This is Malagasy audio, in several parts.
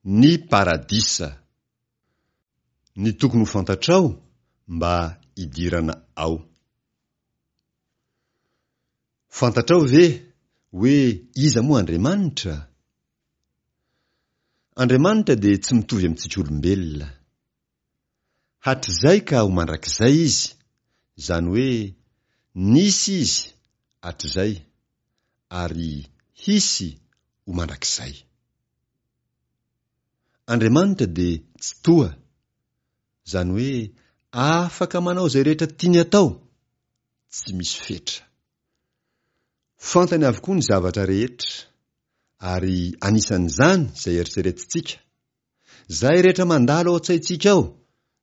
Ny Paradisa. Ny tokony ho fantatrao mba hidirana ao. Fantatrao ve hoe iza moa Andriamanitra? Andriamanitra dia tsy mitovy amintsika olombelona. Hatrizay ka ho mandrakizay Izy, izany hoe nisy Izy hatrizay ary hisy ho mandrakizay. Andriamanitra dia Tsitoha, izany hoe afaka manao izay rehetra tiany atao, tsy misy fetra. Fantany avokoa ny zavatra rehetra, ary anisan'izany izay eritreretintsika, izay rehetra mandalo ao an-tsaintsika ao,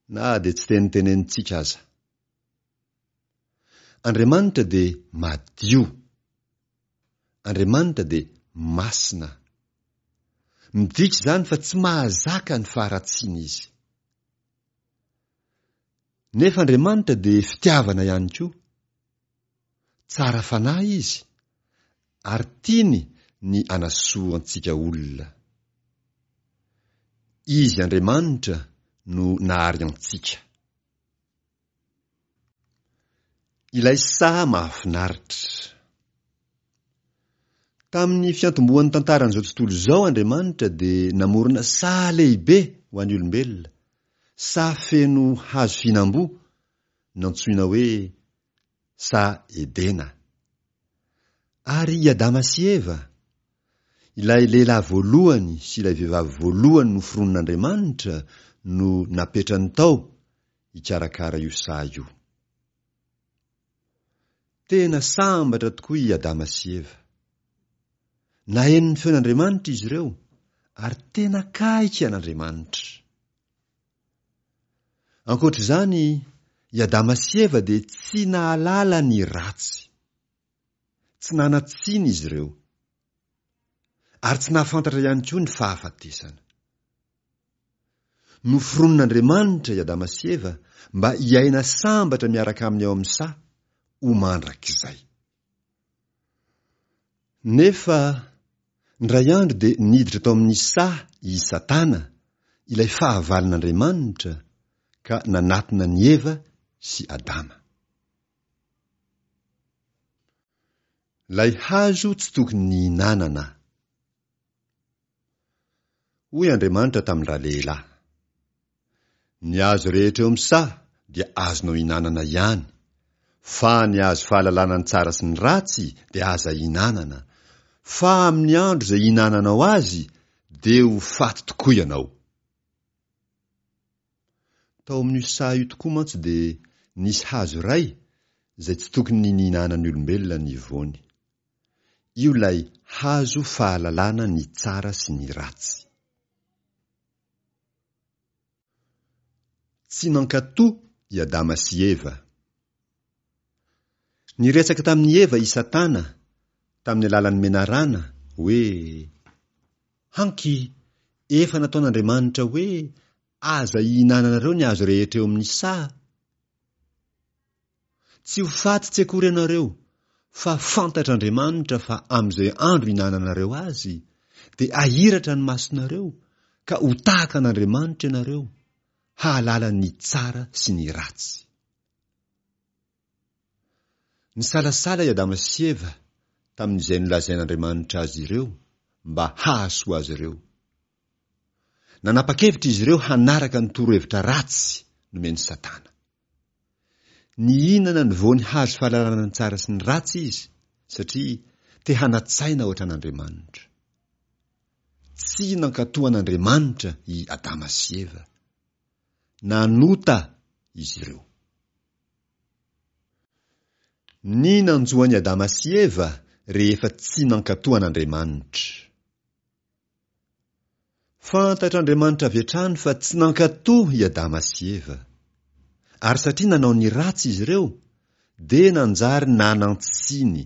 na dia tsy tenitenenintsika aza. Andriamanitra dia madio. Andriamanitra dia masina. Midika izany fa tsy mahazaka ny faharatsiana izy. Nefa Andriamanitra dia fitiavana ihany koa. Tsara fanahy izy ary tiany ny anasoa antsika olona. Izy Andriamanitra no nahary antsika. Ilay saha mahafinaritra. Tamin'ny fiantombohan'ny tantaran'izao tontolo izao Andriamanitra dia namorona saha lehibe ho an'ny olombelona, saha feno hazo fihinam-boa, nantsoina hoe saha Edena. Ary i Adama sy Eva, ilay lehilahy voalohany sy ilay vehivavy voalohany noforonin'Andriamanitra no napetrany tao hikarakara io saha io. Tena sambatra tokoa i Adama sy Eva. Naheno ny feon'Andriamanitra izy ireo ary tena akaiky an'Andriamanitra. Ankoatra izany, i Adama sy Eva dia tsy nahalala ny ratsy. Tsy nanan-tsiny izy ireo. Ary tsy nahafantatra ihany koa ny fahafatesana. Noforonin'Andriamanitra i Adama sy Eva mba hiaina sambatra miaraka aminy ao amin'ny saha ho mandrakizay. Nefa, indray andro dia niditra tao amin'ny saha i Satana, ilay fahavalon'Andriamanitra, ka nanatona an'i Eva sy Adama. Ilay hazo tsy tokony nihinanana. Hoy Andriamanitra tamin-dralehilahy, Ny hazo rehetra eo amin'ny saha dia azonao ihinanana ihany, fa ny hazo fahalalana ny tsara sy ny ratsy dia aza ihinanana, fa amin'ny andro izay ihinananao azy dia ho faty tokoa ianao. Tao amin'io saha io tokoa mantsy dia nisy hazo iray izay tsy tokony nihinanan'ny olombelona ny voany. Io ilay hazo fahalalana ny tsara sy ny ratsy. Tsy nankatò i Adama sy Eva. Niresaka tamin'i Eva i Satana tamin'ny alalan'ny menarana hoe, Hanky, efa nataon'Andriamanitra hoe aza ihinananareo ny hazo rehetra eo amin'ny saha. Tsy ho faty tsy akory ianareo, fa fantatr'Andriamanitra fa amin'izay andro ihinananareo azy, dia hahiratra ny masonareo, ka ho tahaka an'Andriamanitra ianareo, hahalala ny tsara sy ny ratsy. Nisalasala i Adama sy Eva tamin'izay nolazain'Andriamanitra azy ireo mba hahasoa azy ireo. Nanapa-kevitra izy ireo hanaraka ny torohevitra ratsy nomen'i Satana. Nihinana ny voan'ny hazo fahalalana ny tsara sy ny ratsy izy, satria te hanan-tsaina hoatran'Andriamanitra. Tsy nankatò an'Andriamanitra i Adama sy Eva. Nanota izy ireo. Ny nanjo an'i Adama sy Eva rehefa tsy nankatò an'Andriamanitra. Fantatr'Andriamanitra avy hatrany fa tsy nankatò i Adama sy Eva. Ary satria nanao ny ratsy izy ireo, dia nanjary nanan-tsiny.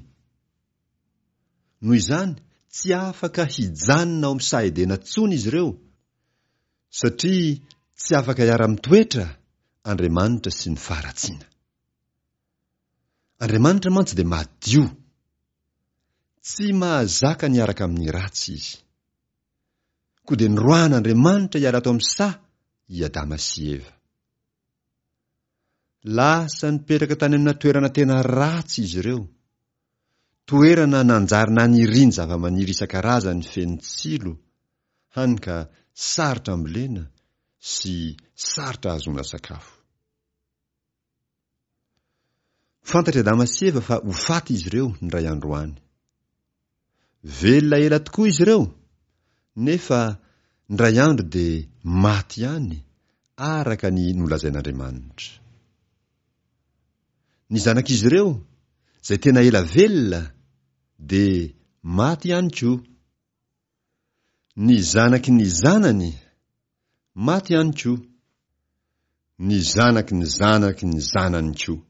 Noho izany, tsy afaka hijanona ao amin'ny saha Edena intsony izy ireo, satria tsy afaka hiara-mitoetra Andriamanitra sy ny faharatsiana. Andriamanitra mantsy dia madio. Tsy mahazaka ny hiaraka amin'ny ratsy izy. Koa dia noroahan'Andriamanitra hiala tao amin'ny saha i Adama sy Eva. Lasa nipetraka tany amina toerana tena ratsy izy ireo. Toerana nanjary naniriany zavamaniry isan-karazany feno tsilo, hany ka sarotra ambolena sy sarotra ahazoana sakafo. Fantatr'i Adama sy Eva fa ho faty izy ireo indray andro any. Velona ela tokoa izy ireo, nefa indray andro dia maty ihany, araka ny nolazain'Andriamanitra. Ny zanak'izy ireo, izay tena ela velona, dia maty ihany koa. Ny zanaky ny zanany, maty ihany koa. Ny zanaky ny zanaky ny zanany koa.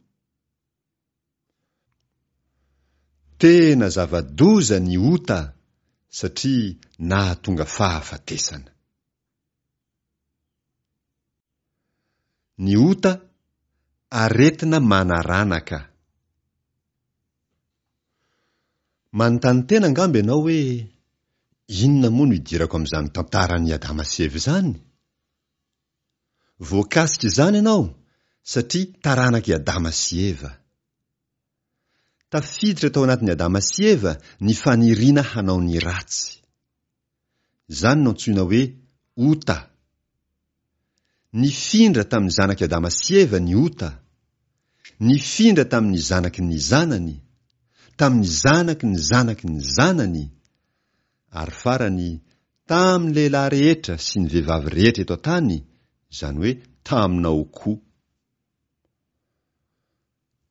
Tena zava-doza ny ota satria nahatonga fahafatesana. Ny ota, aretina manaranaka. Manontany tena angamba ianao hoe, 'Inona moa no idirako amin'izany tantaran'i Adama sy Eva izany? Voakasik'izany ianao satria taranak'i Adama sy Eva. Tafiditra tao anatin'i Adama sy Eva ny faniriana hanao ny ratsy. Izany no antsoina hoe ota. Nifindra tamin'ny zanak'i Adama sy Eva ny ota. Nifindra tamin'ny zanaky ny zanany, tamin'ny zanaky ny zanaky ny zanany, ary farany tamin'ny lehilahy rehetra sy ny vehivavy rehetra eto an-tany, izany hoe taminao koa.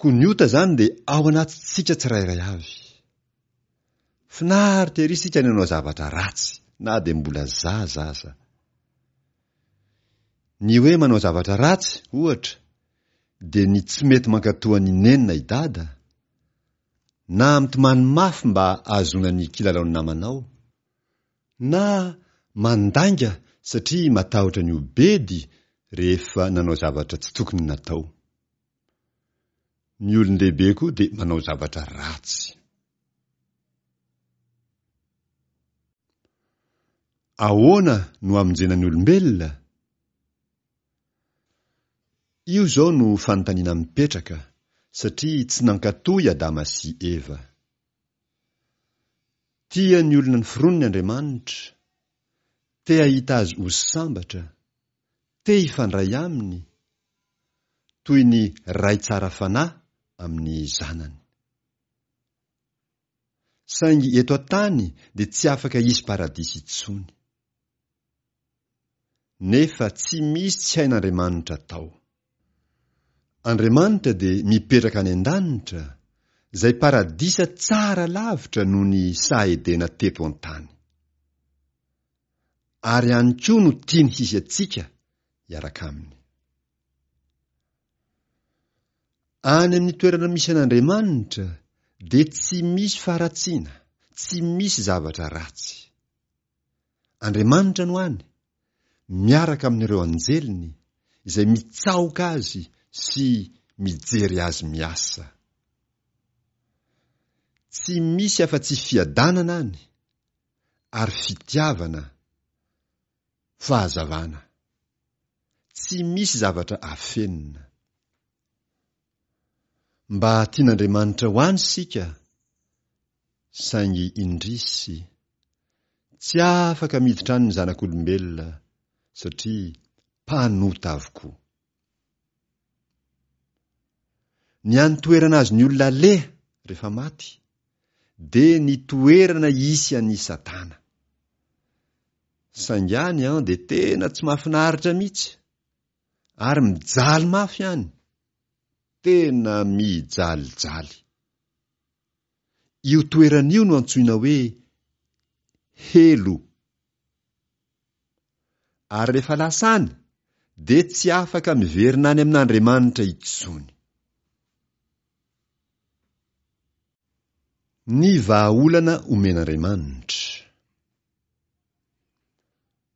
Koa ny ota izany dia ao anatintsika tsirairay avy. Finaritra ery isika ny hanao zavatra ratsy na dia mbola zaza aza. Ny hoe manao zavatra ratsy, ohatra, dia ny tsy mety mankatò an'i Neny na i Dada, na mitomany mafy mba ahazoana ny kilalaon'ny namanao, na mandainga satria matahotra ny ho bedy rehefa nanao zavatra tsy tokony natao. Ny olon-dehibe koa dia manao zavatra ratsy. Ahoana no hamonjena ny olombelona? Io izao no fanontaniana mipetraka, satria tsy nankatò i Adama sy Eva. Tia ny olona noforoniny Andriamanitra, te hahita azy ho sambatra, te hifandray aminy, toy ny ray tsara fanahy amin'ny zanany. Saingy eto an-tany dia tsy afaka hisy paradisa intsony. Nefa tsy misy tsy hain'Andriamanitra atao. Andriamanitra dia mipetraka any an-danitra, izay paradisa tsara lavitra noho ny saha Edena teto an-tany. Ary any koa no tiany hisy antsika hiaraka aminy. Any amin'ny toerana misy an'Andriamanitra dia tsy misy faharatsiana, tsy misy zavatra ratsy. Andriamanitra no any, miaraka amin'ireo anjeliny, izay mitsaoka azy sy mijery azy miasa. Tsy misy afa-tsy fiadanana any, ary fitiavana, fahazavana. Tsy misy zavatra afenina. Mba tian'Andriamanitra ho any isika, saingy indrisy, tsy afaka miditra any ny zanak'olombelona satria mpanota avokoa. Ny any toerana azon'ny olona aleha rehefa maty dia ny toerana hisy an'i Satana. Saingy any an dia tena tsy mahafinaritra mihitsy ary mijaly mafy any, tena mijalijaly. Io toerana io no antsoina hoe helo. Ary rehefa lasa any dia tsy afaka miverina any amin'Andriamanitra intsony. Ny vahaolana omen'Andriamanitra.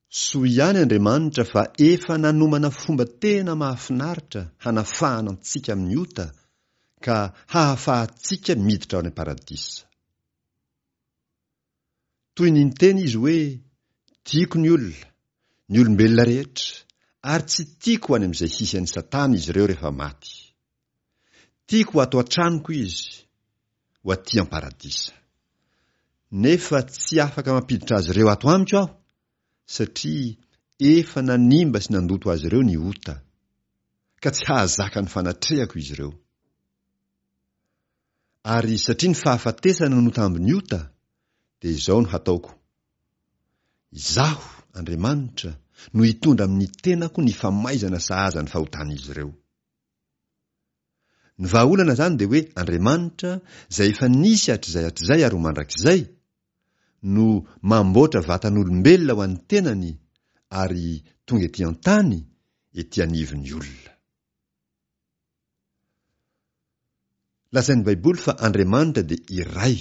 Soa ihany Andriamanitra fa efa nanomana fomba tena mahafinaritra hanafahana antsika amin'ny ota ka hahafahantsika miditra ao any am-paradisa. Toy ny niteny izy hoe. Tiako ny olona, ny olombelona rehetra, ary tsy tiako ho any amin'izay hisy an'i Satana izy ireo rehefa maty. Tiako ho ato an-tranoko izy, ho aty am-paradisa. Nefa tsy afaka mampiditra azy ireo ato amiko aho, satria efa nanimba sy nandoto azy ireo ny ota, ka tsy hahazaka ny fanatrehako izy ireo. Ary satria ny fahafatesana no tambin'ny ota, dia izao no hataoko, Izaho, Andriamanitra, no hitondra amin'ny tenako ny famaizana sahaza ny fahotan'izy ireo. Ny vahaolana izany dia hoe Andriamanitra, izay efa nisy hatrizay hatrizay ary ho mandrakizay, no mamboatra vatan'olombelona ho an'ny tenany ary tonga ety an-tany, ety anivon'ny olona. Lazain'ny Baiboly fa Andriamanitra dia iray,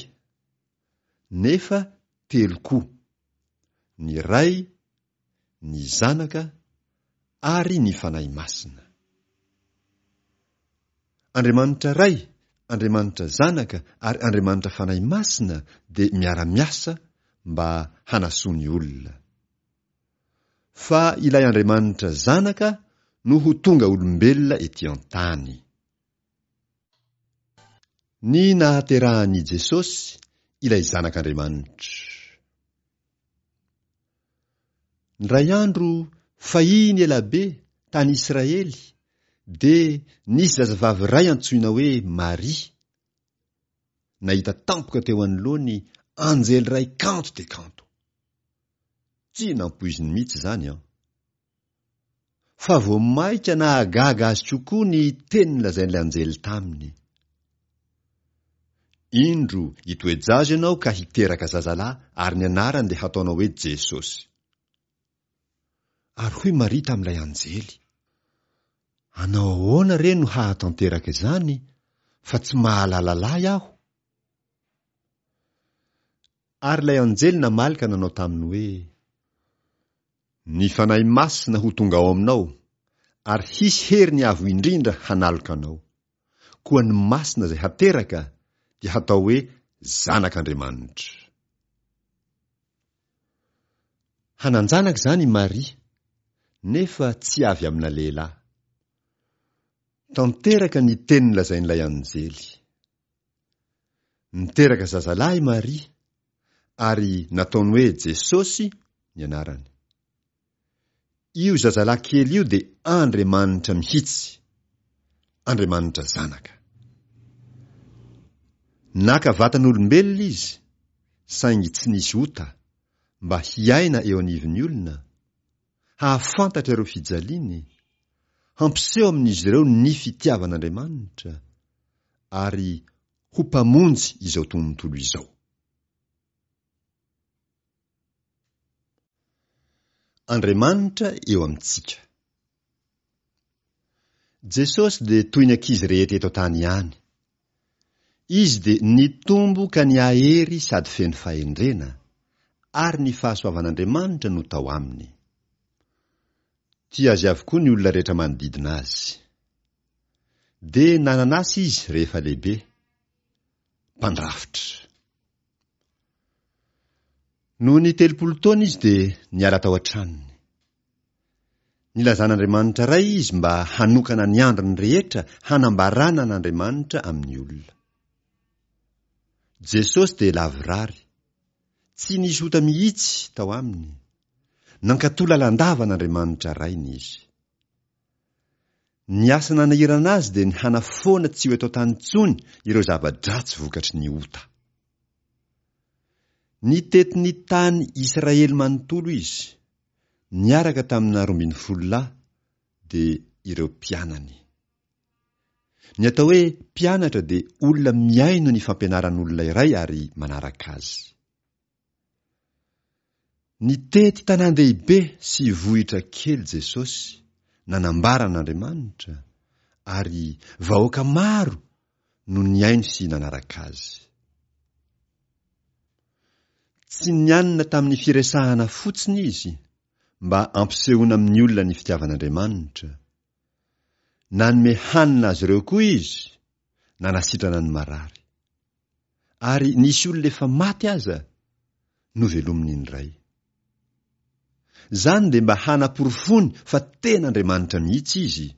nefa telo koa, ny Ray, ny Zanaka ary ny Fanahy Masina. Andriamanitra Ray, Andriamanitra Zanaka ary Andriamanitra Fanahy Masina dia miara-miasa mba hanasoa ny olona. Fa ilay Andriamanitra Zanaka no ho tonga olombelona ety an-tany. Ny nahaterahan'i Jesosy, ilay Zanak'Andriamanitra. Indray andro, fahiny ela be, tany Israely, dia nisy zazavavy iray antsoina hoe Maria, nahita tampoka teo anoloany anjely iray kanto dia kanto. Tsy nampoiziny mihitsy izany an! Fa vao mainka nahagaga azy kokoa ny teny nolazain'ilay anjely taminy. Indro, hitoe-jaza ianao ka hiteraka zazalahy, ary ny anarany dia hataonao hoe Jesosy. Ary hoy Maria tamin'ilay anjely, Hanao ahoana re no hahatanteraka izany, fa tsy mahalala lahy aho? Ary ilay anjely namaly ka nanao taminy hoe, Ny Fanahy Masina ho tonga ao aminao, ary hisy hery ny Avo Indrindra hanaloka anao. Koa ny Masina izay hateraka dia hatao hoe Zanak'Andriamanitra. Hanan-janaka izany i Maria, nefa tsy avy amina lehilahy. Tanteraka ny teny nolazain'ilay anjely. Niteraka zazalahy i Maria, ary nataony hoe Jesosy ny anarany. Io zazalahy kely io dia Andriamanitra mihitsy, Andriamanitra Zanaka. Naka vatan'olombelona izy, saingy tsy nisy ota, mba hiaina eo anivon'ny olona, hahafantatra ireo fijaliany, hampiseho amin'izy ireo ny fitiavan'Andriamanitra, ary ho Mpamonjy izao tontolo izao. Andriamanitra eo amintsika. Jesosy dia toy ny ankizy rehetra eto an-tany ihany. Izy dia nitombo ka nihahery sady feno fahendrena, ary ny fahasoavan'Andriamanitra no tao aminy. Tia azy avokoa ny olona rehetra manodidina azy. Dia nanana asa izy rehefa lehibe, mpandrafitra. Nony 30 taona izy dia niala tao an-tranony. Nilazan'Andriamanitra Ray izy mba hanokana ny androny rehetra hanambarana an'Andriamanitra amin'ny olona. Jesosy dia lavorary. Tsy nisy ota mihitsy tao aminy. Nankatò lalandava an'Andriamanitra Rainy izy. Ny asa nanahirana azy dia ny hanafoana tsy ho eto an-tany intsony ireo zava-dratsy vokatry ny ota. Nitety ny tany Israely manontolo izy, niaraka tamina 12 lahy, dia ireo mpianany. Ny atao hoe mpianatra dia olona mihaino ny fampianaran'olona iray ary manaraka azy. Nitety tanàn-dehibe sy vohitra kely Jesosy, nanambara an'Andriamanitra, ary vahoaka maro no nihaino sy nanaraka azy. Tsy nianina tamin'ny firesahana fotsiny izy, mba hampisehoana amin'ny olona ny fitiavan'Andriamanitra. Nanome hanina azy ireo koa izy, nanasitrana ny marary. Ary nisy olona efa maty aza novelominy indray. Izany dia mba hanaporofoany fa tena Andriamanitra mihitsy Izy,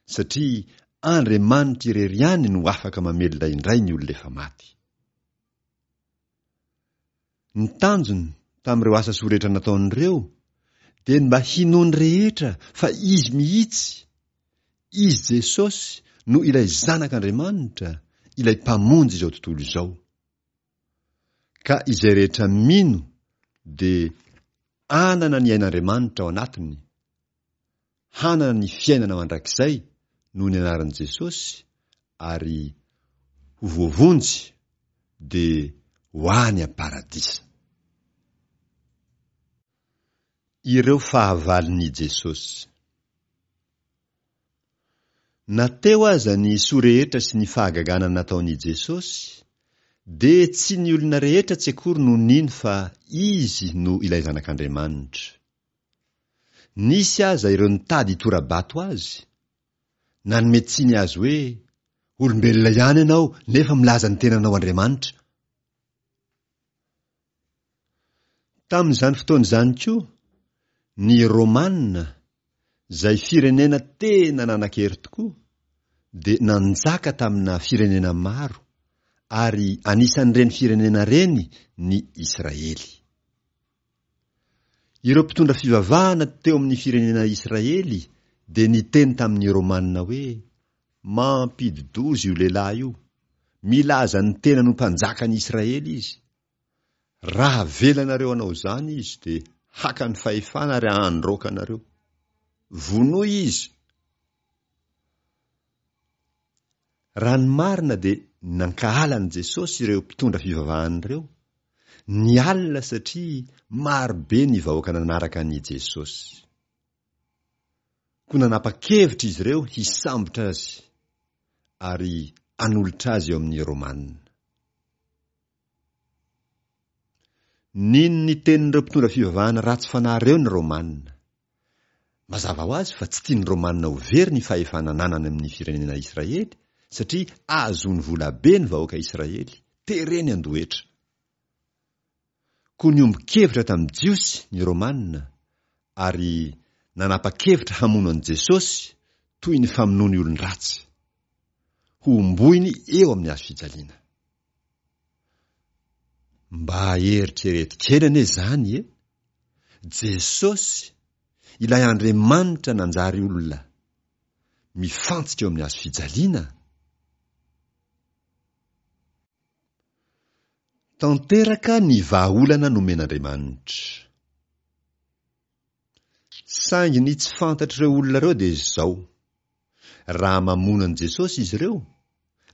satria Andriamanitra irery ihany no afaka mamelona indray ny olona efa maty. Ny tanjony tamin'ireo asa soa rehetra nataony ireo dia ny mba hinoan'ny rehetra fa Izy mihitsy, Izy Jesosy no ilay Zanak'Andriamanitra, ilay Mpamonjy izao tontolo izao. Ka izay rehetra mino dia anana ny ain'Andriamanitra ao anatiny, hanana ny fiainana mandrakizay noho ny anaran'i Jesosy ary ho voavonjy dia ho any am-paradisa. Ireo fahavalon'i Jesosy. Na teo aza ny soa rehetra sy ny fahagagana nataon'i Jesosy, dia tsy ny olona rehetra tsy akory no nino fa Izy no ilay Zanak'Andriamanitra. Nisy aza ireo nitady hitora-bato Azy, nanome tsiny Azy hoe, Olombelona ihany ianao nefa milaza ny tenanao Andriamanitra. Tamin'izany fotoana izany koa, ny Romana, izay firenena tena nanan-kery tokoa, dia nanjaka tamina firenena maro, ary anisan'ireny firenena ireny ny Israely. Ireo mpitondra fivavahana teo amin'ny firenena Israely dia niteny tamin'ny Romana hoe, Mampidi-doza io lehilahy io. Milaza ny tenany ho mpanjakan'i Israely izy. Raha avelanareo hanao izany izy dia haka ny fahefana ary handroaka anareo. Vonoy izy! Raha ny marina dia nankahala an'i Jesosy ireo mpitondra fivavahana ireo, nialona satria maro be ny vahoaka nanaraka an'i Jesosy. Koa nanapa-kevitra izy ireo hisambotra azy ary hanolotra azy eo amin'ny Romana. Nino ny tenin'ireo mpitondra fivavahana ratsy fanahy ireo ny Romana. Mazava ho azy fa tsy tian'ny Romana ho very ny fahefana ananany amin'ny firenena Israely satria ahazoany vola be ny vahoaka Israely, tereny handoa hetra. Koa niombon-kevitra tamin'ny Jiosy ny Romana ary nanapa-kevitra hamono an'i Jesosy toy ny famonoany olon-dratsy. Hohomboiny eo amin'ny hazo fijaliana. Mba eritrereto kely anie izany e! Jesosy, ilay Andriamanitra nanjary olona, mifantsika eo amin'ny hazo fijaliana? Tanteraka ny vahaolana nomen'Andriamanitra. Saingy ny tsy fantatr'ireo olona ireo dia izao, raha mamono an'i Jesosy izy ireo,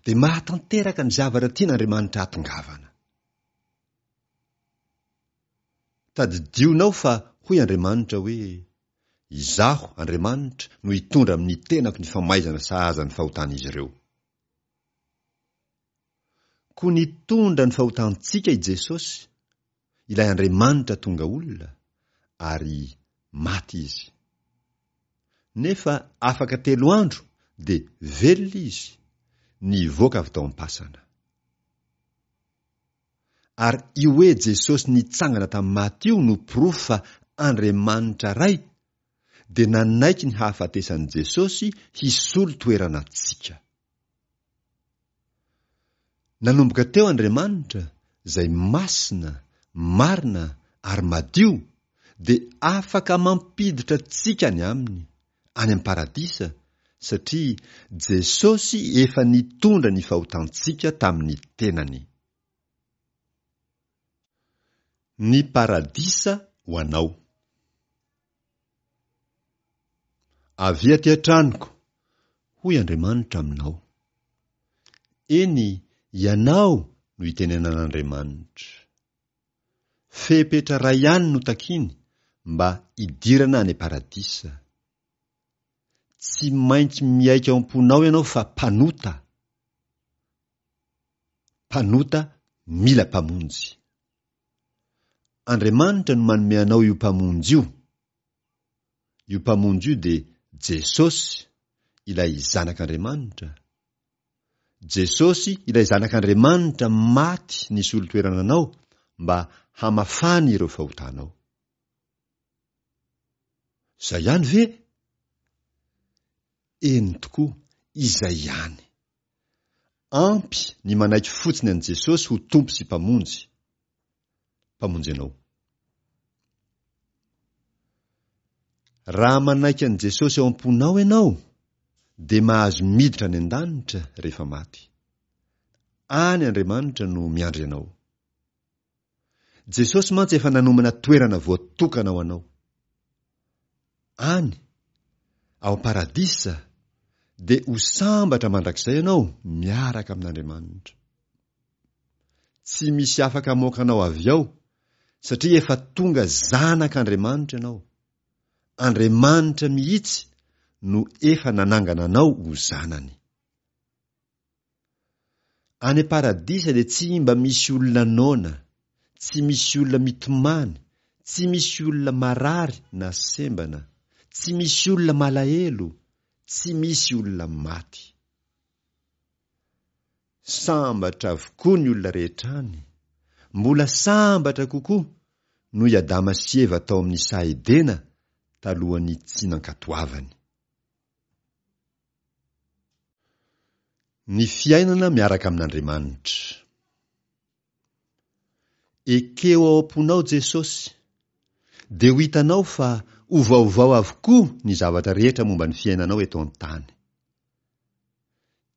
dia mahatanteraka ny zavatra tian'Andriamanitra hahatongavana. Tadidionao fa hoy Andriamanitra hoe, Izaho, Andriamanitra, no hitondra amin'ny tenako ny famaizana sahaza ny fahotan'izy ireo. Koa nitondra ny fahotantsika i Jesosy, ilay Andriamanitra tonga olona, ary maty Izy. Nefa afaka telo andro dia velona Izy, nivoaka avy tao am-pasana. Ary io hoe Jesosy nitsangana tamin'ny maty io no porofo fa Andriamanitra Ray dia nanaiky ny hahafatesan'i Jesosy hisolo toerana antsika. Nanomboka teo Andriamanitra, izay masina, marina ary madio, dia afaka mampiditra antsika any Aminy, any am-paradisa, satria Jesosy efa nitondra ny fahotantsika tamin'ny tenany. Ny paradisa ho anao. Avia aty an-tranoko, hoy Andriamanitra aminao. Eny, ianao no itenenan'Andriamanitra. Fepetra iray ihany no takiny mba hidirana any am-paradisa. Tsy maintsy miaiky ao am-ponao ianao fa mpanota. Mpanota mila mpamonjy. Andriamanitra no manome anao io Mpamonjy io. Io Mpamonjy io dia Jesosy, ilay Zanak'Andriamanitra. Jesosy, ilay Zanak'Andriamanitra maty nisolo toerana anao mba hamafany ireo fahotanao. Izay ihany ve? Eny tokoa, izay ihany. Ampy ny manaiky fotsiny an'i Jesosy ho Tompo sy Mpamonjy. Mpamonjy anao. Raha manaiky an'i Jesosy ao am-ponao ianao, dia mahazo miditra any an-danitra rehefa maty. Any Andriamanitra no miandry anao. Jesosy mantsy efa nanomana toerana voatokana ho anao. Any, ao am-paradisa, dia ho sambatra mandrakizay ianao miaraka amin'Andriamanitra. Tsy misy afaka hamoaka anao avy ao, satria efa tonga zanak'Andriamanitra ianao. Andriamanitra mihitsy no efa nanangana anao ho zanany. Any am-paradisa dia tsy mba misy olona noana, tsy misy olona mitomany, tsy misy olona marary na sembana, tsy misy olona malahelo, tsy misy olona maty. Sambatra avokoa ny olona rehetra any, mbola sambatra kokoa noho i Adama sy Eva tao amin'ny saha Edena talohan'ny tsy nankatoavany. Ny fiainana miaraka amin'Andriamanitra. Ekeo ao am-ponao Jesosy, dia ho hitanao fa ho vaovao avokoa ny zavatra rehetra momba ny fiainanao eto an-tany.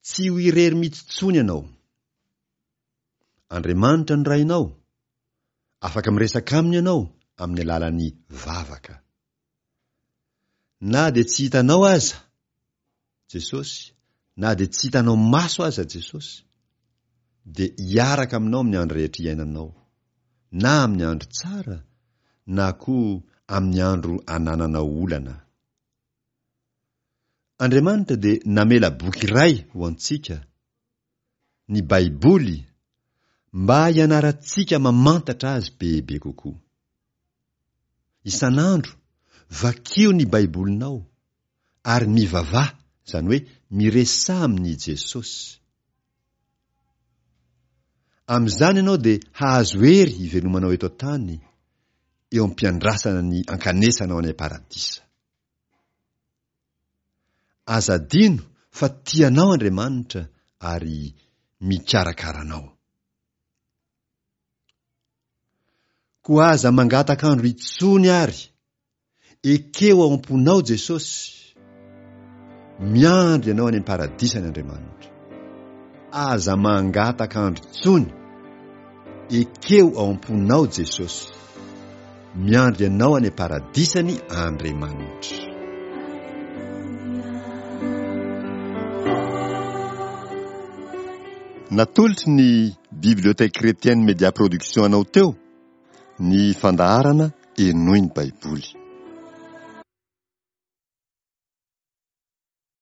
Tsy ho irery mihitsy intsony ianao. Andriamanitra no Rainao. Afaka miresaka aminy ianao amin'ny alalan'ny vavaka. Na dia tsy hitanao aza Jesosy, na dia tsy hitanao maso aza Jesosy, dia hiaraka aminao amin'ny andro rehetra iainanao, na amin'ny andro tsara, na koa amin'ny andro anananao olana. Andriamanitra dia namela boky iray ho antsika, ny Baiboly, mba hianarantsika mamantatra azy bebe kokoa. Isan'andro, vakio ny Baibolinao, ary mivavaha, izany hoe miresaha amin'i Jesosy. Amin'izany ianao dia hahazo hery hivelomanao eto an-tany, eo am-piandrasana ny ankanesanao any am-paradisa. Aza adino fa tia anao Andriamanitra ary mikarakara anao. Koa aza mangataka andro intsony ary ekeo ao am-ponao Jesosy. Miandry anao any am-paradisany Andriamanitra. Aza mangataka andro intsony. Ekeo ao am-ponao Jesosy. Miandry anao any am-paradisany Andriamanitra. Natolotry ny Bibliothèque Chrétienne Media Production anao teo ny fandaharana Henoy ny Baiboly.